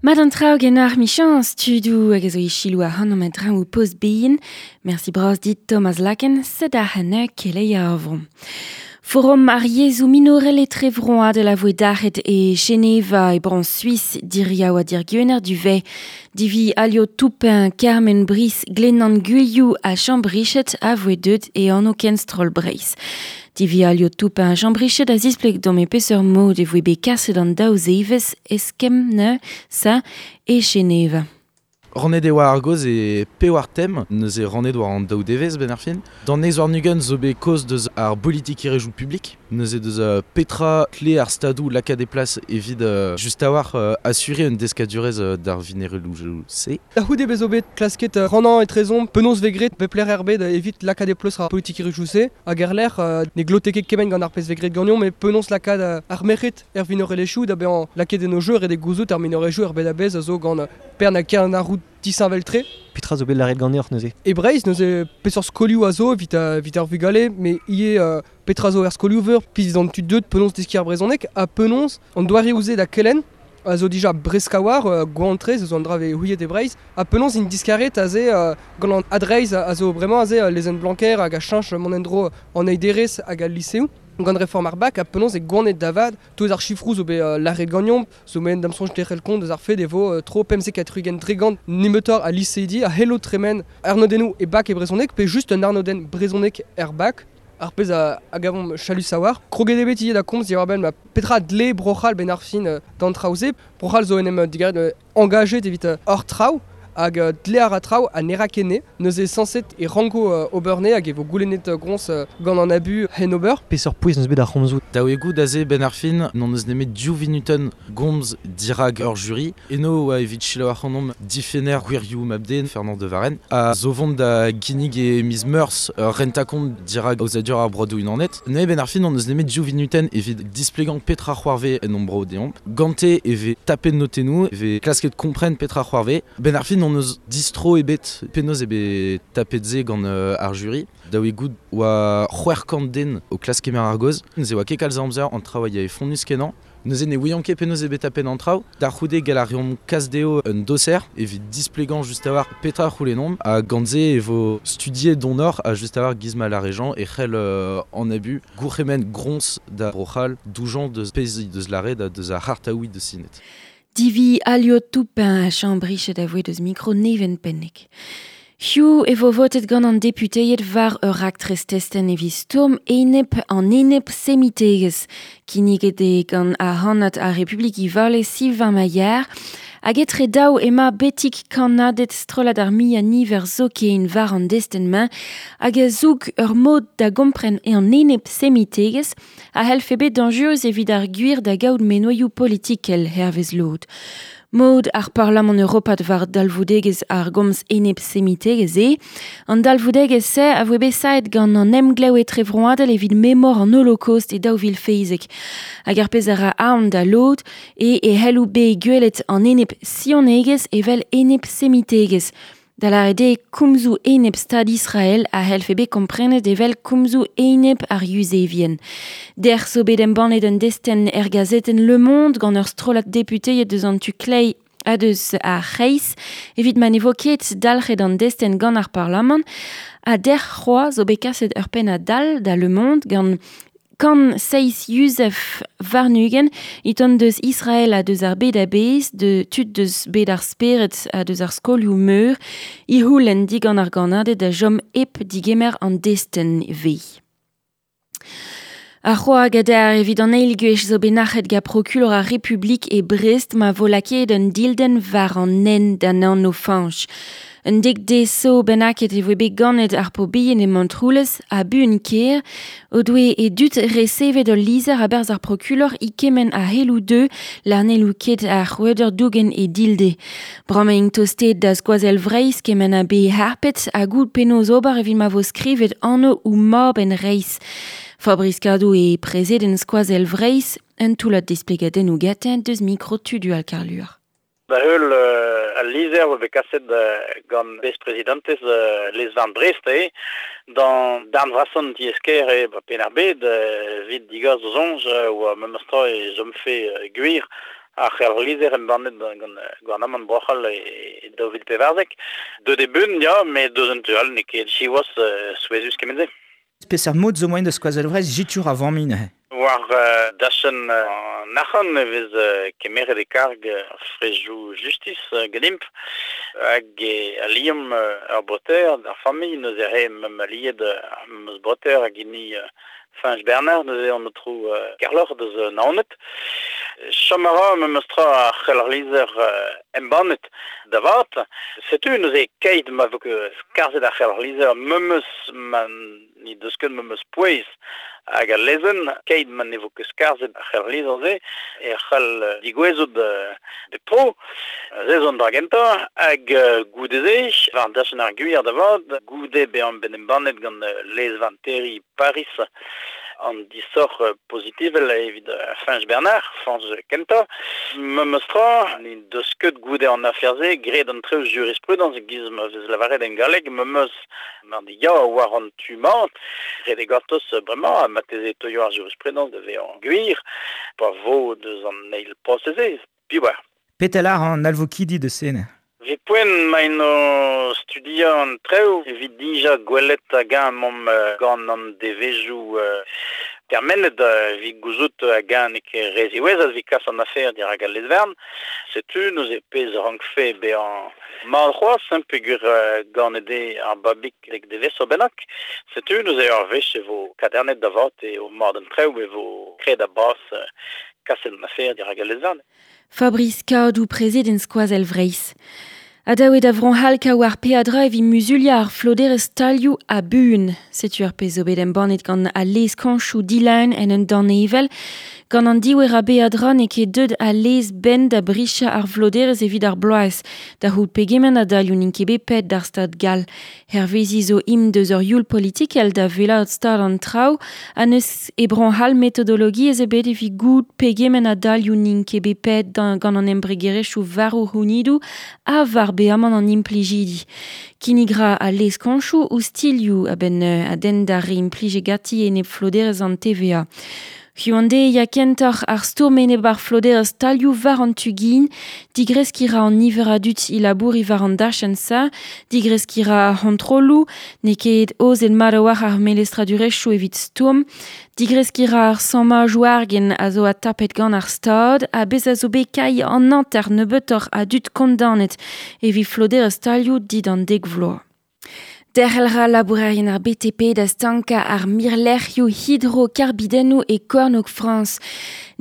Mat an traoù genoc'h michañs tudoù hag a zo e selaou ac'hanomp a-dreñv ho post bihan. Mersi bras dit Thomas Laken, sed ac'hane keleier ar vro. Forum ar yezhoù minorel etrevroadel a voe dalc'het e Geneva e bro Suis diriaou ha dirgwener du Vez. Divi Alio Toupin, Carmen Brice, Glennan Gwilhou ha Jean Brichet a voe deuet e anv kenstroll Breizh. Divi Alio Toupin ha Jean Brichet a zispleg deomp e peseurt mod e voe bet kaset an daou zevezh eskemm neuze e Geneva. Rannet e oa ar gaoz e pevar tem, neuze rannet war an daou devezh 'benn ar fin. D'an eizh warn-ugent zo bet kaoz deus ar bolitikerezhioù publik, neuze deus petra tle ar stadoù lakaat e plas evit just a-walc'h asuriñ un deskadurezh d'ar vinereloù-se. Da c'houde bezo bet klasket rannañ etrezomp penaos vez graet pep lec'h er bed evit lakaat e pleustr ar politikerezhioù-se hag er lec'h ne glote ket kement gant ar pezh vez graet ganeomp met penaos lakaat ar merc'hed er vinorelezhioù da bezañ lakaet en o jeu ret eo gouzout ar minorelezhioù er bed a-bezh a zo gant Pern ha Kern ar roud disheñvel-tre. Petra zo bet lâret ganeoc'h neuze? E Breizh neuze peseurt skolioù a zo evit, evit ar vugale met ivez petra zo er skolioù-veur pizh an tud deuet penaos deskiñ ar brezhoneg ha penaos an doareoù-se da kelenn a zo dija bresk a-walc'h, gwan-tre zo an dra vez houiet e Breizh ha penaos int diskaret aze gant an adreizh a zo bremañ aze lezenn Blanquer hag a cheñch mont en-dro an eil derez hag al liseoù gant reform ar bak ha penaos e gwanet da vat tout ar sifroù zo bet lâret ganeomp zo met da'm soñj derc'hel kont eus ar fed e vo tro 75 nemetoc'h a liseidi a c'hello tremen arnodennoù e bak e brezhoneg pe just un arnodenn brezhonek er bak ar pezh a, a gavomp chalus a-walc'h. Kroget eo bet ivez da komz diwar-benn ma petra dle Bro-C'hall benn ar fin d'an traoù-se. Bro-C'hall zo en em digaret engajet evit hor traoù hag dle a ra traoù ha ne ra ket ne. Neuze sañset e ranko ober ne hag e vo goulennet groñs gant an abu hen ober. Peseurt pouez n'eus bet ar c'homzoù? Dav eo goût aze 'benn ar fin n'hon eus nemet div vinutenn gomz dirak ur juri. Eno oa evit selaou ac'hanomp difenner gwirioù mab-den Fernand de Varenne a zo vont da ginnig e miz Meurzh ur rentañ-kont dirak aozadur ar Broadoù Unanet. Neuze 'benn ar fin n'hon eus nemet div vinutenn evit displegañ petra c'hoarvez en hon bro deomp. Gante e vez tapet notennoù, e vez klasket kompren petra c'hoarvez. Benn ar fin n'hon eus distro ebet penaos eo bet tapet se gant ar juri. Dav eo goût oa 600 den o klask kemer ar gaoz. Neuze oa ket kalz a amzer, an traoù a yae fonnus-kenañ. Neuze ne ouian ket penaos eo bet tapet an traoù. Da c'houde gall a reomp kas dezho un doser evit displegañ just a-walc'h petra a c'houlennomp. Ha gant se e vo studiet donoc'h ha just a-walc'h giz ma lâre Jean e c'hell an abu gourc'hemenn groñs da Bro-C'hall doujañ deus pezh he deus lâret ha deus ar c'hartaouiñ deus sinet. Divi Alio Toupin a Chambrichet a voe deus mikro Neven Pennek. Hiziv e vo votet gant an deputeed war ur raktres testenn evit stourm enep an enep-semitegezh. Kinniget eo gant ar c'hannad ar Republik Ivale Sylvain Maillard. Hag etre daou emañ betek kannaded strollad ar muiañ-niver zoken war an destenn-mañ hag a zoug ur mod da gompren an enep-semitegezh a c'hellfe bet dañjerus evit ar gwir da gaout menoioù politikel hervez lod. Mod ar Parlamant europat war dalvoudegezh ar gomz enep-semitegezh eo. An dalvoudegezh-se a voe bet saet gant an emglev etrevroadel evit memor an Holocaust e 2017. Hag ar pezh a ra aon da lod eo e c'hello bet gwelet an enep-sionegezh evel enep-semitegezh. Da lâret eo komzoù enep Stad Israel a c'hellfe bet komprenet evel komzoù enep ar Yuzevien. Dec'h zo bet embannet un destenn er gazetenn Le Monde gant ur strollad deputeed deus an tu kleiz ha deus ar c'hreiz evit ma ne vo ket dalc'het an destenn gant ar Parlamant. Ha dec'h c'hoazh zo bet kaset ur pennad all da Le Monde gant Kant seizh Yuzev warn-ugent e tont deus Israel ha deus ar bed a-bezh, de tud deus bed ar spered ha deus ar skolioù-meur, e c'houlenn digant ar gannaded da chom hep digemer an destenn vez. Ar c'hoag adarre evit an eil gwech zo bet nac'het gant prokulor ar Republik e Brest ma vo lakaet un dildenn war an hent d'an anv Fañch. Un dek dez zo bennaket e voe bet ganet ar paotr bihan e Montroulez ha buan-kaer o doe e dud resevet ul lizher a-berzh ar prokulor e kement a c'helloù deu lâr n'hello ket ar c'hrouadur dougen e dilde. Bremañ int tostaet da skoazell Vreizh kement ha bet harpet ha goût penaos ober evit ma vo skrivet anv o mab en reizh. Fabrice Cadou eo prezident skoazell Vreizh, un toullad displegadennoù gantañ deus mikro Tudual Karluer. Da heul al lizher 'oa bet kaset gant besprezidantez lez-varn Brest eo d'an darn vrasañ an tiez-kêr eo 'ba Penn-ar-Bed evit digas o soñj 'oa memes tra e chomfe gwir Ar c'helc'hlizher embannet gant gouarnamant Bro-C'hall e 2014. Deut e beun, ya, met deus un tu all n'eo ket siwazh souezhus kement-se. Peseurt mod zo moaien da Skoazell Vreizh jitur a vamm neuze? War dachenn an arc'hant e vez kemeret e karg ar frejoù justis ganimp hag e aliomp ur breutaer d'ar familh neuze re meump aliet ar memes breutaer hag hini Fañch Bernard neuze an aotrou Kerloc'h deus Naoned. Chom a ra memes tra ar c'helc'hlizher embannet da vat. Setu neuze keit ma vo ket skarzhet ar c'helc'hlizher memes ma ne deus ket memes pouez hag al lezenn keit ma ne vo ket skarzhet ar c'helc'hlizher-se e c'hall digouezout bep tro. Se zo an dra gentañ hag goude-se war dachenn ar gwir da vat goude bezañ bet embannet gant lez-varn terriñ Paris an disoc'h pozitivel evit Fañch Bernard, Fañch kentañ. Memes tra, ne deus ket goude an afer-se graet an traoù jurisprudence giz ma vez lavaret en galleg memes mar di ya war an tu mat ret eo gortoz bremañ ha marteze e teuio ar jurisprudence da vezañ gwir pa vo deus an eil prosez-se. Piv oar. Petra 'lar an alvokidi deus se neuze? Evit poent emaint o studiañ an traoù evit dija gwelet hag-eñ emaomp gant an devezhioù termenet evit gouzout hag-eñ n'eo ket re ziwezhat evit kas an afer dirak al lez-varn. Setu neuze pezh a rankfe bezañ mat c'hoazh hein, peogwir ganet eo ar babig dek devezh bennak. Setu neuze ur wech e vo kadarnet da vat eo mat an traoù e vo graet a-bas kaset an afer dirak al lez-varn. Fabrice Kadou, prezident Skoazell Vreizh. Adaoe da Vro-C'hall kaout ar peadra evit muzuliañ ar floderezh stalioù ha buan. Setu ar pezh zo bet embannet gant al lez-kañchoù dilaen en un danevell. Gant an diouer a beadra n'eo ket deuet al lez benn da brichañ ar floderezh evit ar bloaz. Da c'hoût pegement a dalioù n'int ket bet paeet d'ar stad gall. Hervezi zo int deus ur youl politikel da wellaat stad an traoù ha n'eus e Bro-C'hall metodologiezh ebet evit goût pegement a dalioù n'int ket bet paeet gant an embregerezhioù war o c'hounidoù ha war beamant an implijidi. Kinnig ra al lez-kañchoù ouzh a-benn a denn d'ar re implijet ganti enep floderezh an TVA. Hiziv ya kentoc'h ar stourm enep ar floderezh stalioù war an tu-gin, digreskiñ ra an niver a dud e labouriñ war an dachenn-se, digreskiñ ra ar c'hontrolloù, n'eo ket aozet mat a-walc'h ar melestradurezhioù evit stourm, digreskiñ ra ar sammajoù argent a zo adtapet gant ar Stad ha bezañ zo bet kailh an hanter nebeutoc'h a dud kondaonet evit floderezh stalioù dindan dek vloaz. Derc'hel ra labourerien ar BTP da stankañ ar mirlec'hioù hidrokarbidennoù e kornôg Frañs.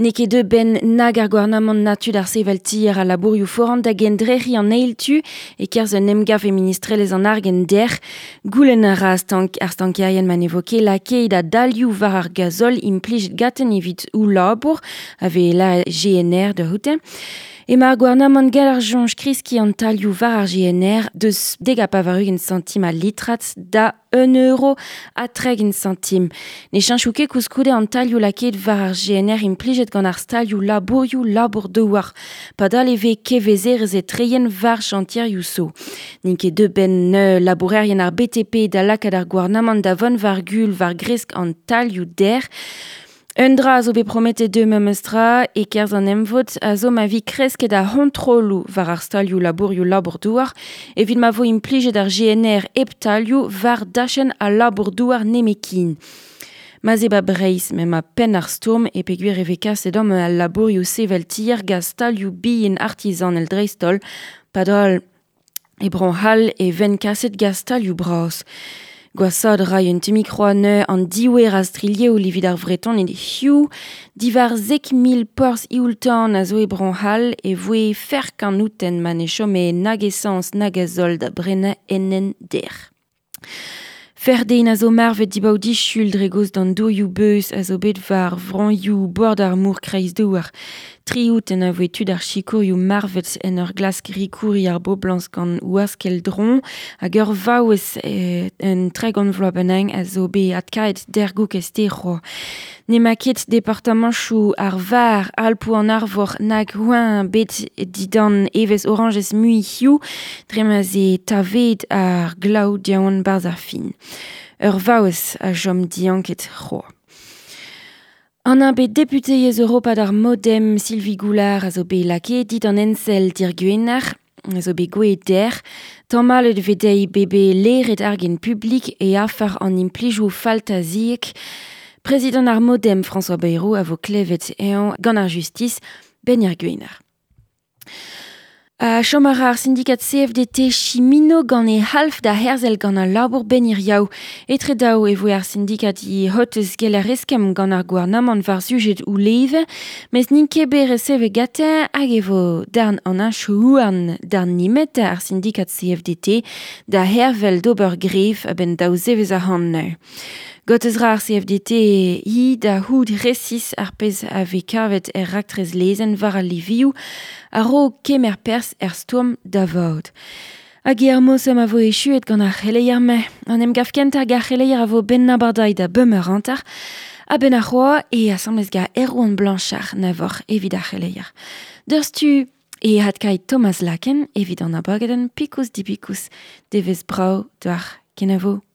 N'eo ket deuet benn nag ar gouarnamant na tud ar sevel tier a labourioù foran da gendrec'hiñ an eil tu e-kerzh un emgav e ministrelezh an argent dec'h. Goulenn a ra ar stankerien ma ne vo ket lakaet a dalioù war ar gazol implijet ganten evit o labour, a vez la GNR da c'houde. Emañ ar gouarnamant gall ar soñj kreskiñ an talioù war ar GNR deus 90 santim al litrad da 1 euro ha 30 santim. Ne cheñcho ket koulskoude an talioù lakaet war ar GNR implijet gant ar stalioù labourioù labour-douar. Padal e vez kevezerezh etreien war chantierioù zo. N'int ket deuet benn labourerien ar BTP da lakaat ar gouarnamant da vont war-gul war gresk an talioù dec'h. Un dra a zo bet prometet dezhe memes tra e-kerzh an emvod a zo ma vi kresket ar c'hontrolloù war ar stalioù labourioù labour-douar evit ma vo implijet ar GNR hep talioù war dachenn al labour-douar nemetken. Ma 'z eo 'ba Breizh m'emañ penn ar stourm e peogwir e vez kaset amañ al labourioù sevel tier gant stalioù bihan artizanel dreist-holl padal e Bro-C'hall e vent kaset gant stalioù bras. Gwashaat 'ray un tammig c'hoant an diouer a strilheoul evit ar Vretoned hiziv. Diwar 10,000 porzh eoul-tan a zo e Bro-C'hall e voe ferk an outenn ma ne chome nag esañs nag gazol da brenañ enen dec'h. Ferc'h den a zo marvet dibaot disul dre gaoz d'an dourioù beuz a zo bet war vroioù bord ar mor Kreizdouar. Tri outenn a voe tud ar sikourioù marvet en ur glask rikouriñ ar boblañs gant waskell dron hag ur vaouez un 30 vloaz bennak a zo bet adkaet dergouk e stêr-c'hoaz. N'emañ ket departamantoù ar Var, Alpoù an Arvor nag Rouen bet dindan evezh orañjez mui hiziv dre ma 'z eo tavet ar glav diaon 'barzh ar fin. Ur vaouez a chom dianket c'hoazh. An un bet depute ez Europa d'ar Modem Sylvie Goulard a zo bet lake dit an ensel dir gwenar, a zo bet gwe der, tammalet vedei bebe leret argen publik e afer an implijou faltaziek. Prezident ar Modem François Bayrou a vo klevet ean gant ar justice ben ar gwenar. A chom ar ar syndikat CFDT Chimino gant e half da herzel gant al labour ben ir yaou. Etre daou e voe ar syndikat i hotez gel ar eskem gant ar gouarnamant war sujet ou leve, mes n'int ket bet reseve gate hag e vo darn an anchouarn darn nimet ar syndikat CFDT da hervel d'ober gref a ben daou zevez ar han neu. Gotez ra ar CFDT hi da houd resis ar pez a ve kavet er raktrez lezen war al livioù a ro kemer pers er stourm da vaod. Hag ar mosem a vo echuet gant ar c'heleier me. An em gaf kent hag ar c'heleier a vo ben nabardai da bemeur antar, a ben ar c'hoa e asamblez ga Erwan Blanchard na vor evit ar c'heleier. Deurstu e hatkai Thomas Laken evit an abagaden pikous dipikous devez brau d'ar kenavo.